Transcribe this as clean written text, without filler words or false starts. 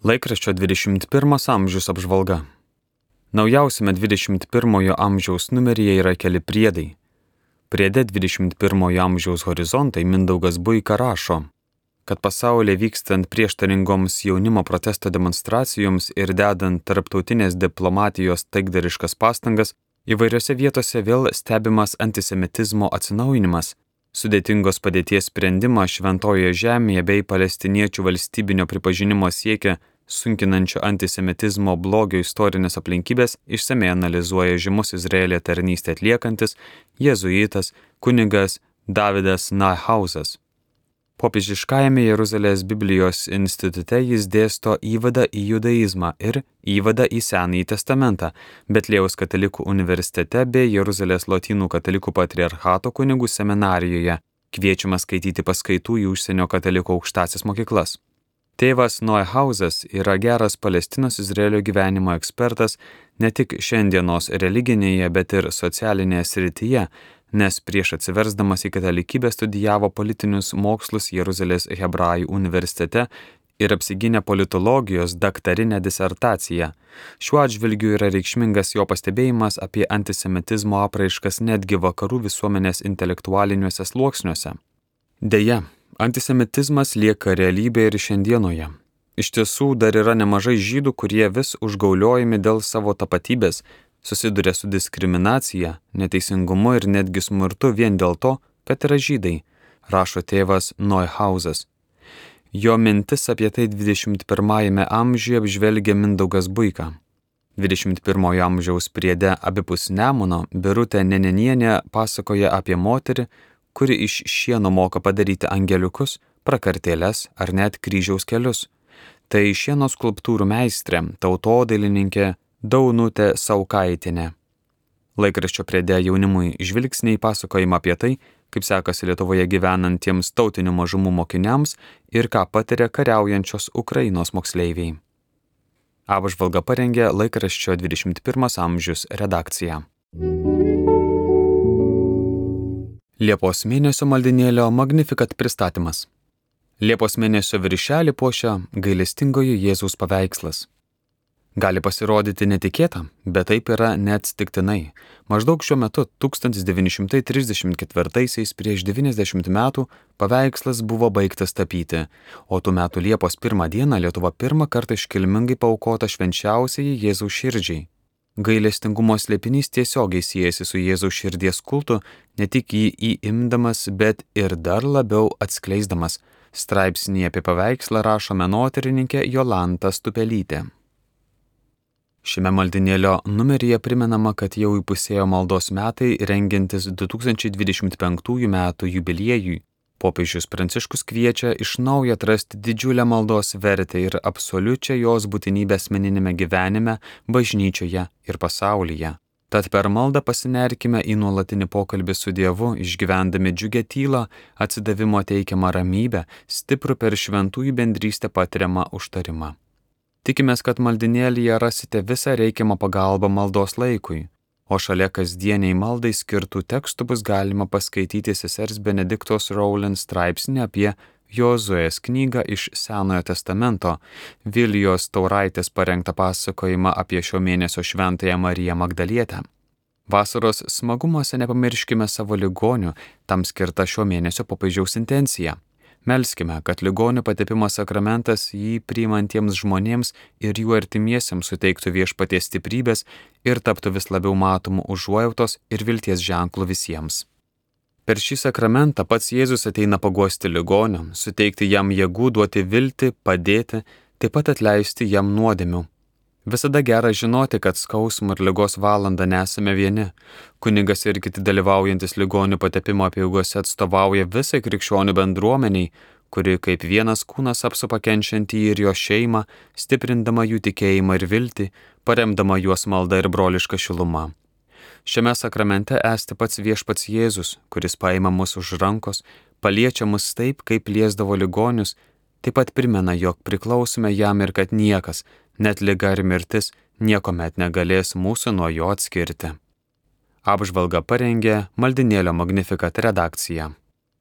Laikraščio 21 amžius apžvalga. Naujausiame 21 amžiaus numeryje yra keli priedai. Priede 21 amžiaus horizontai Mindaugas Buika rašo, kad pasaulyje vykstant prieštaringoms jaunimo protesto demonstracijoms ir dedant tarptautinės diplomatijos taikdariškas pastangas, įvairiose vietose vėl stebimas antisemitizmo atsinaujinimas, sudėtingos padėties sprendimas Šventojoje žemėje bei palestiniečių valstybinio pripažinimo siekia sunkinančio antisemitizmo blogio istorinės aplinkybės išsamiai analizuoja žymus Izraelyje tarnystę atliekantis jėzuitas kunigas Davidas Neuhausas. Popiežiškajame Jeruzalės Biblijos institute jis dėsto įvadą į judaizmą ir įvadą į Senąjį testamentą, Betliejaus katalikų universitete bei Jeruzalės lotynų katalikų patriarchato kunigų seminarijoje, kviečiama skaityti paskaitų į užsienio katalikų aukštąsias mokyklas. Tėvas Neuhausas yra geras Palestinos Izraelio gyvenimo ekspertas ne tik šiandienos religinėje, bet ir socialinėje srityje, nes prieš atsiversdamas į katalikybę studijavo politinius mokslus Jeruzalės Hebrajų universitete ir apsigynė politologijos daktarinę disertaciją. Šiuo atžvilgiu yra reikšmingas jo pastebėjimas apie antisemitizmo apraiškas netgi vakarų visuomenės intelektualiniuose sluoksniuose. Deja, antisemitizmas lieka realybė ir šiandienoje. Iš tiesų dar yra nemažai žydų, kurie vis užgauliojami dėl savo tapatybės, susiduria su diskriminacija, neteisingumu ir netgi smurtu vien dėl to, kad yra žydai, rašo tėvas Neuhausas. Jo mintis apie tai 21 amžiuje apžvelgia Mindaugas Buika. 21 amžiaus priede abipus Nemuno Birutė Nenenienė pasakoja apie moterį, kuri iš šieno moka padaryti angeliukus, prakartėles ar net kryžiaus kelius. Tai šieno skulptūrų meistrė, tautodailininkė Daunutė Saukaitinė. Laikraščio priede jaunimui žvilgsniai pasakojama apie tai, kaip sekasi Lietuvoje gyvenantiems tautinių mažumų mokiniams ir ką patiria kariaujančios Ukrainos moksleiviai. Apžvalgą parengė laikraščio 21 amžius redakcija. Liepos mėnesio maldinėlio Magnificat pristatymas. Liepos mėnesio viršelį puošia gailestingojo Jėzaus paveikslas. Gali pasirodyti netikėta, bet taip yra neatsitiktinai. Maždaug šiuo metu 1934 prieš 90 metų paveikslas buvo baigtas tapyti, o tų metų Liepos 1 dieną Lietuva pirmą kartą iškilmingai paaukota švenčiausiai Jėzaus širdžiai. Gailestingumo slėpinys tiesiogiai siejasi su Jėzaus širdies kultu, ne tik jį įimdamas, bet ir dar labiau atskleisdamas. Straipsnyje apie paveikslą rašo menotyrininkė Jolanta Stupelytė. Šiame maldinėlio numeryje primenama, kad jau įpusėjo maldos metai rengiantis 2025 metų jubiliejui. Popiežius Pranciškus kviečia iš naujo atrasti didžiulę maldos vertę ir absoliučią jos būtinybę asmeniniame gyvenime, bažnyčioje ir pasaulyje. Tad per maldą pasinerkime į nuolatinį pokalbį su Dievu, išgyvendami džiugę tylą, atsidavimo teikiamą ramybę, stiprų per šventųjų bendrystę patiriamą užtarimą. Tikimės, kad maldinėlyje rasite visą reikiamą pagalbą maldos laikui, o šalia kasdieniai maldai skirtų tekstų bus galima paskaityti sesers Benediktos Rowland straipsnį apie Jozuės knygą iš Senojo testamento, Vilijos Tauraitės parengtą pasakojimą apie šio mėnesio šventąją Mariją Magdalietę. Vasaros smagumuose nepamirškime savo ligonių, tam skirta šio mėnesio popiežiaus intencija. Melskime, kad ligonių patepimo sakramentas jį priimantiems žmonėms ir jų artimiesiems suteiktų viešpaties stiprybės ir taptų vis labiau matomų užuojautos ir vilties ženklų visiems. Per šį sakramentą pats Jėzus ateina paguosti ligonio, suteikti jam jėgų, duoti viltį, padėti, taip pat atleisti jam nuodėmių. Visada gera žinoti, kad skausmo ir ligos valandą nesame vieni. Kunigas ir kiti dalyvaujantis ligonių patepimo apeigose atstovauja visai krikščionių bendruomeniai, kuri kaip vienas kūnas apsupa kenčiantį ir jo šeimą, stiprindama jų tikėjimą ir viltį, paremdama juos malda ir broliška šiluma. Šiame sakramente esti pats viešpats Jėzus, kuris paima mus už rankos, paliečia mus taip, kaip liesdavo ligonius, taip pat primena, jog priklausome jam ir kad niekas, net liga ir mirtis, niekuomet negalės mūsų nuo jo atskirti. Apžvalgą parengė maldinėlio Magnificat redakcija.